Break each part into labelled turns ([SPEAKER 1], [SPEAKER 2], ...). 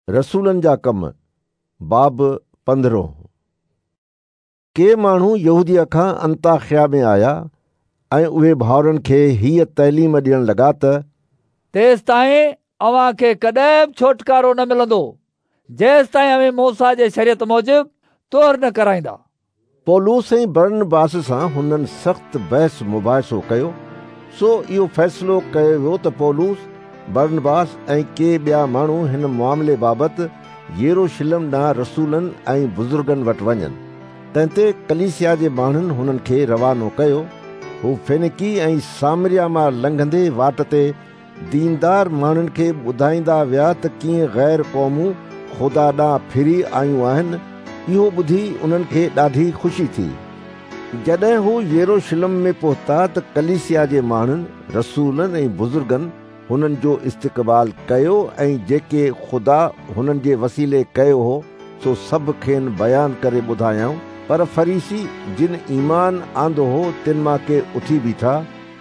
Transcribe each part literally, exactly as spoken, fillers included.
[SPEAKER 1] रसूलनि जा कम बाब पंद्रहं। के माण्हू यहूदिया खां अंताखिया में आया ऐं उहे भाउरनि खे हीअ तइलीम ॾियण लॻा त
[SPEAKER 2] तेसिताईं अव्हां खे कॾहिं बि छोटकारो न मिलंदो जेसिताईं अव्हीं मूसा जे शरीयत मूजिबि तुहर न कराईंदा।
[SPEAKER 1] पौलुस ऐं बरनबास सां हुननि सख़्तु बहस मुबाहिसो कयो। सो इहो फ़ैसिलो कयो वियो त पौलुस, बरनबास ऐं के ॿिया माण्हू हिन मुआमिले बाबति यरूशलेम ॾांहुं रसूलनि ऐं बुज़ुर्गनि वटि वञनि। तंहिं ते कलीसिया जे माण्हुनि हुननि खे रवानो कयो। हू फेनिकी ऐं सामरिया मां लंघंदे वाट ते दीनदार माण्हुनि खे ॿुधाईंदा विया त कीअं ग़ैर क़ौमूं ख़ुदा ॾांहुं फिरी आयूं आहिनि। इहो ॿुधी उन्हनि खे ॾाढी ख़ुशी थी। जॾहिं हू यरूशलेम में पहुता त कलीसिया जे माण्हुनि, रसूलनि ऐं बुज़ुर्गनि हुननि जो इस्तिक़बाल कयो ऐं जेके ख़ुदा हुननि जे वसीले कयो हो सो सभु खेनि बयानु करे ॿुधायाऊं। पर फरीसी जिन ईमान आंदो हो तिन मां के उथी बीठा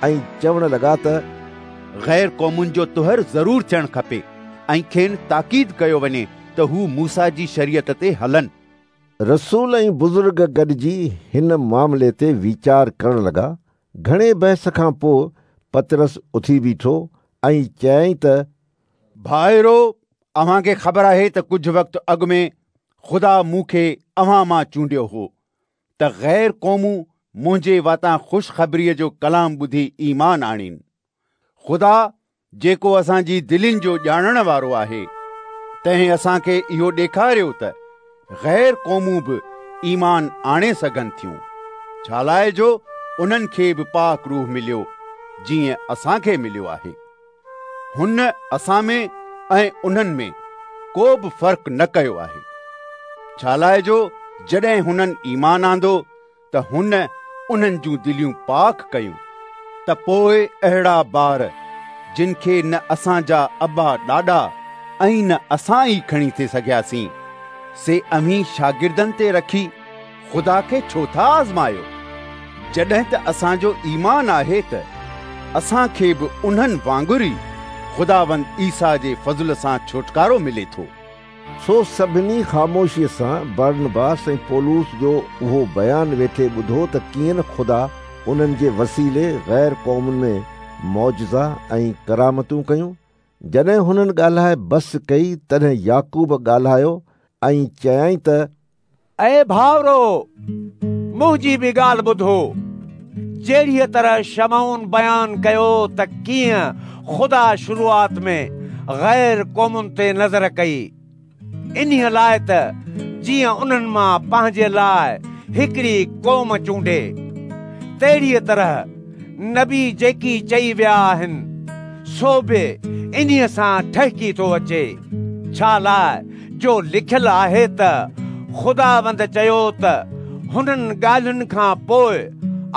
[SPEAKER 1] ऐं चवण लॻा त
[SPEAKER 3] ग़ैर क़ौमुनि जो तुहर ज़रूर थियणु खपे ऐं खेनि ताक़ीद कयो वञे त हू मूसा जी शरीयत ते हलनि।
[SPEAKER 1] रसूल ऐं बुज़ुर्ग गॾिजी हिन मामले ते वीचार करण लॻा। घणे बहस खां पोइ पतरस उथी बीठो ऐं चयाईं त
[SPEAKER 3] भाइरो, अव्हांखे ख़बर आहे त कुझु वक़्तु अॻु में ख़ुदा मूंखे अव्हां मां चूंडियो हो त ग़ैर क़ौमूं मुंहिंजे वातां ख़ुशख़बरीअ जो कलाम ॿुधी ईमान आणीनि। ख़ुदा जेको असांजी दिलनि जो ॼाणण वारो आहे तंहिं असांखे इहो ॾेखारियो त ग़ैर क़ौमूं बि ईमान आणे सघनि थियूं, छा लाइ जो उन्हनि खे बि पाक रूह मिलियो जीअं असांखे मिलियो आहे। हुन असां में ऐं उन्हनि में को बि फ़र्क़ु न कयो आहे, छा लाइ जो जॾहिं हुननि ईमान आंदो त हुन उन्हनि जूं दिलियूं पाक कयूं। त पोइ अहिड़ा बार जिन खे न असांजा अबा ॾाॾा ऐं न असां ई खणी थी सघियासीं, से अव्हीं शागिर्दनि ते रखी ख़ुदा खे छो था आज़मायो? जॾहिं त असांजो ईमान आहे त असांखे बि उन्हनि वांगुरु ई ख़ुदावंद ईसा जे फ़ज़ल सां छुटकारो मिले थो।
[SPEAKER 1] सो सभिनी ख़ामोशीअ सां बरनबास ऐं पौलुस जो उहो बयानु वेठे ॿुधो त कीअं न ख़ुदा उन्हनि जे वसीले ग़ैर क़ौमुनि में मौजज़ा ऐं करामतूं कयूं। जॾहिं हुननि ॻाल्हाए बसि कई तॾहिं याकूब ॻाल्हायो ऐं चयाईं त
[SPEAKER 4] ऐ भाउरो, मुंहिंजी बि ॻाल्हि ॿुधो। जहिड़ीअ तरह शमऊन बयानु कयो त कीअं ख़ुदा शुरूआत में ग़ैर क़ौमुनि ते नज़र कई, इन्हीअ लाइ त जीअं उन्हनि मां पंहिंजे लाइ हिकिड़ी क़ौम चूंडे, तहिड़ीअ तरह नबी जेकी चई विया आहिनि सो बि इन्हीअ सां ठहिकी थो अचे। छा लाइ जो लिखियलु आहे त ख़ुदावंद चयो त हुननि ॻाल्हियुनि खां पोइ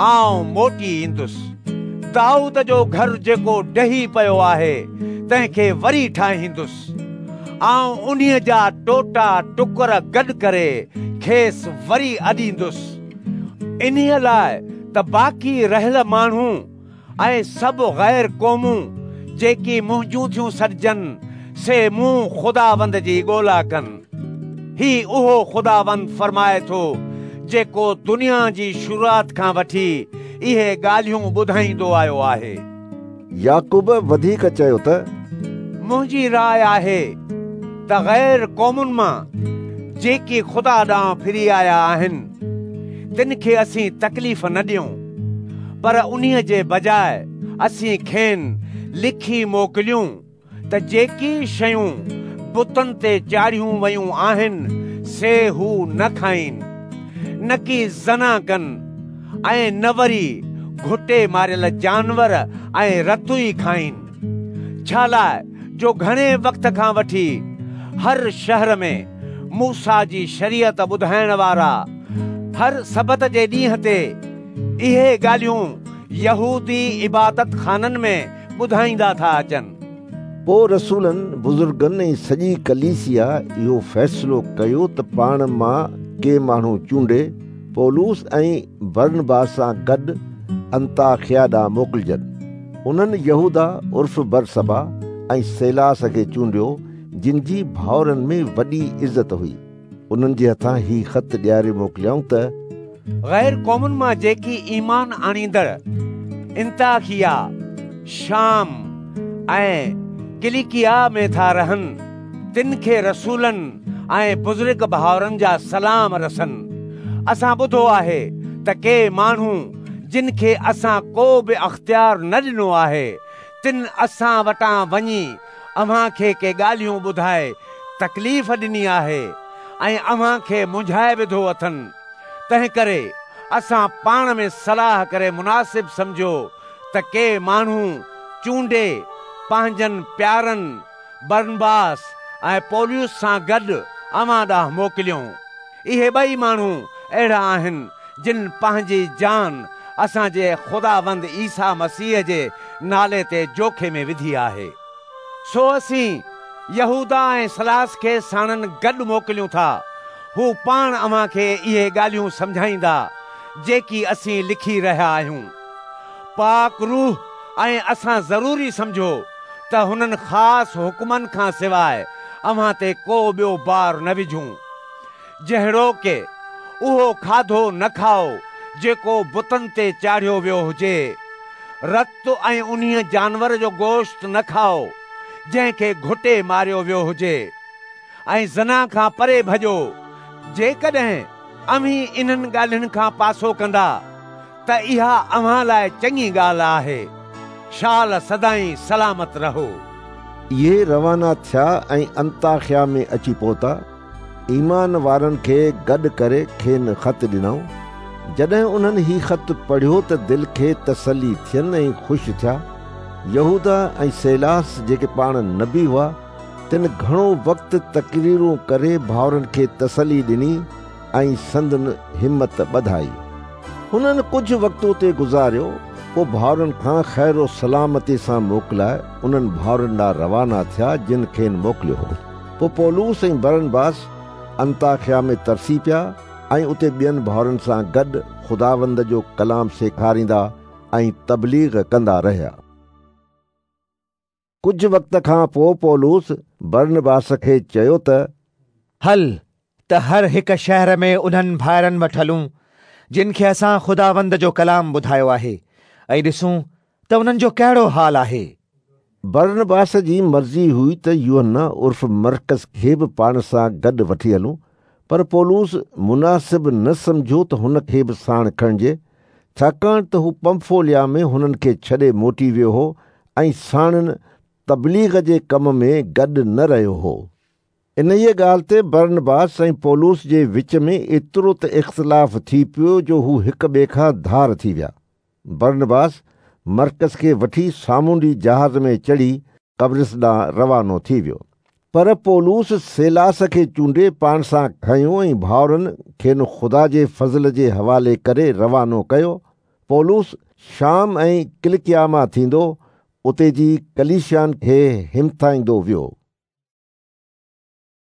[SPEAKER 4] आउं मोटी ईंदुसि, दाऊद जो घर जेको डही पियो आहे तंहिंखे वरी ठाहींदुसि। आउं उन्हीअ जा टोटा टुकर गॾु करे खेसि वरी अॾींदुसि, इन्हीअ लाइ त बाक़ी रहियल माण्हू ऐं सभु ग़ैर क़ौमूं जेकी मुंहिंजूं थियूं सॾिजनि से मूं ख़ुदावंद जी ॻोल्हा कनि। ही उहो ख़ुदावंद फरमाए थो जेको दुनिया जी शुरूआत खां वठी इहे ॻाल्हियूं ॿुधाईंदो आयो आहे।
[SPEAKER 1] याकूब वधीक चयो त
[SPEAKER 4] मुंहिंजी राय आहे त ग़ैर क़ौमुनि मां जेकी ख़ुदा ॾांहुं फिरी आया आहिनि तिन खे असीं तकलीफ़ न ॾियूं, पर उन्हीअ जे बजाए असीं खेनि लिखी मोकिलियूं त जेकी शयूं बुतनि ते चाढ़ियूं वयूं आहिनि से हू न खाइनि, न की ज़ना कनि ऐं न वरी घुटे मारियल जानवर ऐं रतु ई खाइनि। छा लाइ जो घणे वक़्त खां वठी हर शहर में मूसा जी शरीयत ॿुधाइण वारा हर सबत जे ॾींहं ते इहे ॻाल्हियूं यहूदी इबादत खाननि में ॿुधाईंदा था अचनि।
[SPEAKER 1] पोइ रसूलनि, बुज़ुर्गनि ऐं सॼी कलीसिया इहो फ़ैसिलो कयो त पाण मां के माण्हू चूंडे पौलुस ऐं बरनबास सां गॾु अंताखिया ॾांहुं मोकिलिजनि। उन्हनि यहूदा उर्फ़ बरसबा ऐं सैलास खे चूंडियो, جن جي ڀائرن ۾ وڏي عزت हुई। उन्हनि जे हथां ही ख़त ॾियारे मोकिलियऊं त
[SPEAKER 4] ग़ैर क़ौमुनि मां जेकी ईमान आणींदड़ अंताकिया, शाम ऐं किलिकिया में था रहनि, तिन खे रसूलनि ऐं बुज़ुर्ग भाउरनि जा सलाम रसनि। असां ॿुधो आहे त के माण्हू जिन खे असां को बि अख़्तियार न ॾिनो आहे, तिन असां वटां वञी अव्हां खे के ॻाल्हियूं ॿुधाए तकलीफ़ ॾिनी आहे ऐं अव्हां खे मुंझाए विधो अथनि। तंहिं करे असां पाण में सलाह करे मुनासिब सम्झो त के माण्हू चूंडे पंहिंजनि प्यारनि बरनबास ऐं पौलुस सां गॾु अव्हां ॾांहुं मोकिलियूं। इहे ॿई माण्हू अहिड़ा आहिनि जिन पंहिंजी जान असांजे ख़ुदावंद ईसा मसीह जे नाले ते जोखे में विधी आहे। सो असीं यहूदा ऐं सलास खे साणनि गॾु मोकिलियूं था। हू पाण अव्हां खे इहे ॻाल्हियूं सम्झाईंदा जेकी असीं लिखी रहिया आहियूं। पाक रूह ऐं असां ज़रूरी सम्झो त हुननि ख़ासि हुकुमनि खां सवाइ अव्हां ते को ॿियो बार न विझूं, जहिड़ो के उहो खाधो न खाओ जेको बुतनि ते चाढ़ियो वियो हुजे, रत ऐं उन्हीअ जानवर जो गोश्त न खाओ जंहिंखे घुटे मारियो वियो हुजे, ऐं ज़ना खां परे भॼो। जेकॾहिं अव्हीं इन्हनि ॻाल्हियुनि खां पासो कंदा त इहा अव्हां लाइ चङी ॻाल्हि आहे। शाल सदाईं सलामत रहो।
[SPEAKER 1] इहे रवाना थिया ऐं अंताकिया में अची पहुता। ईमान वारनि खे गॾु करे खेनि ख़त ॾिनऊं। जॾहिं उन्हनि ही ख़त पढ़ियो त दिलि खे तसली थियनि ऐं ख़ुशि थिया। यहूदा ऐं सैलास जेके पाण नबी हुआ, तिन घणो वक़्तु तकरीरूं करे भाउरनि खे तसली ॾिनी ऐं संदन हिमत ॿधाई। हुननि कुझु वक़्तु उते गुज़ारियो, पोइ भाउरनि खां ख़ैर सलामती सां मोकिलाए उन्हनि भाउरनि ॾांहुं रवाना थिया जिन खेनि मोकिलियो हो। पोइ पौलुस ऐं बरनबास अंताकिया में तरसी पिया ऐं उते ॿियनि भाउरनि सां गॾु ख़ुदावंद जो कलाम सेखारींदा ऐं तबलीग कंदा रहिया। कुझु वक़्त खां पोइ पौलुस बरनबास खे चयो त
[SPEAKER 5] हल त हर हिक शहर में उन्हनि भाइरनि वटि हलूं जिन खे असां ख़ुदावंद जो कलाम ॿुधायो आहे ऐं ॾिसूं त उन्हनि जो कहिड़ो हाल आहे।
[SPEAKER 1] बरनबास जी मर्ज़ी हुई त यूहन्ना उर्फ़ मरकस खे बि पाण सां गॾु वठी हलूं, पर पौलुस मुनासिब न सम्झो त हुन खे बि साण खणिजे, छाकाणि त हू पंफोलिया में हुननि खे छॾे मोटी वियो हो ऐं साणनि तबलीग जे कम में गॾु न रहियो हो। इन्हीअ ॻाल्हि ते बरनबास ऐं पौलुस जे विच में एतिरो त इख़्तिलाफ़ थी पियो जो हू हिक ॿिए खां धार थी विया। बरनबास मरकस खे वठी सामुंडी जहाज़ में चढ़ी कब्रिस ॾांहुं रवानो थी वियो, पर पौलुस सैलास खे चूंडे पाण सां खयो ऐं भाउरनि खेनि ख़ुदा जे फ़ज़ल जे हवाले करे रवानो कयो। पौलुस शाम ऐं किलिकिया मां थींदो उते जी कलीसियानि खे हिमथाईंदो वियो।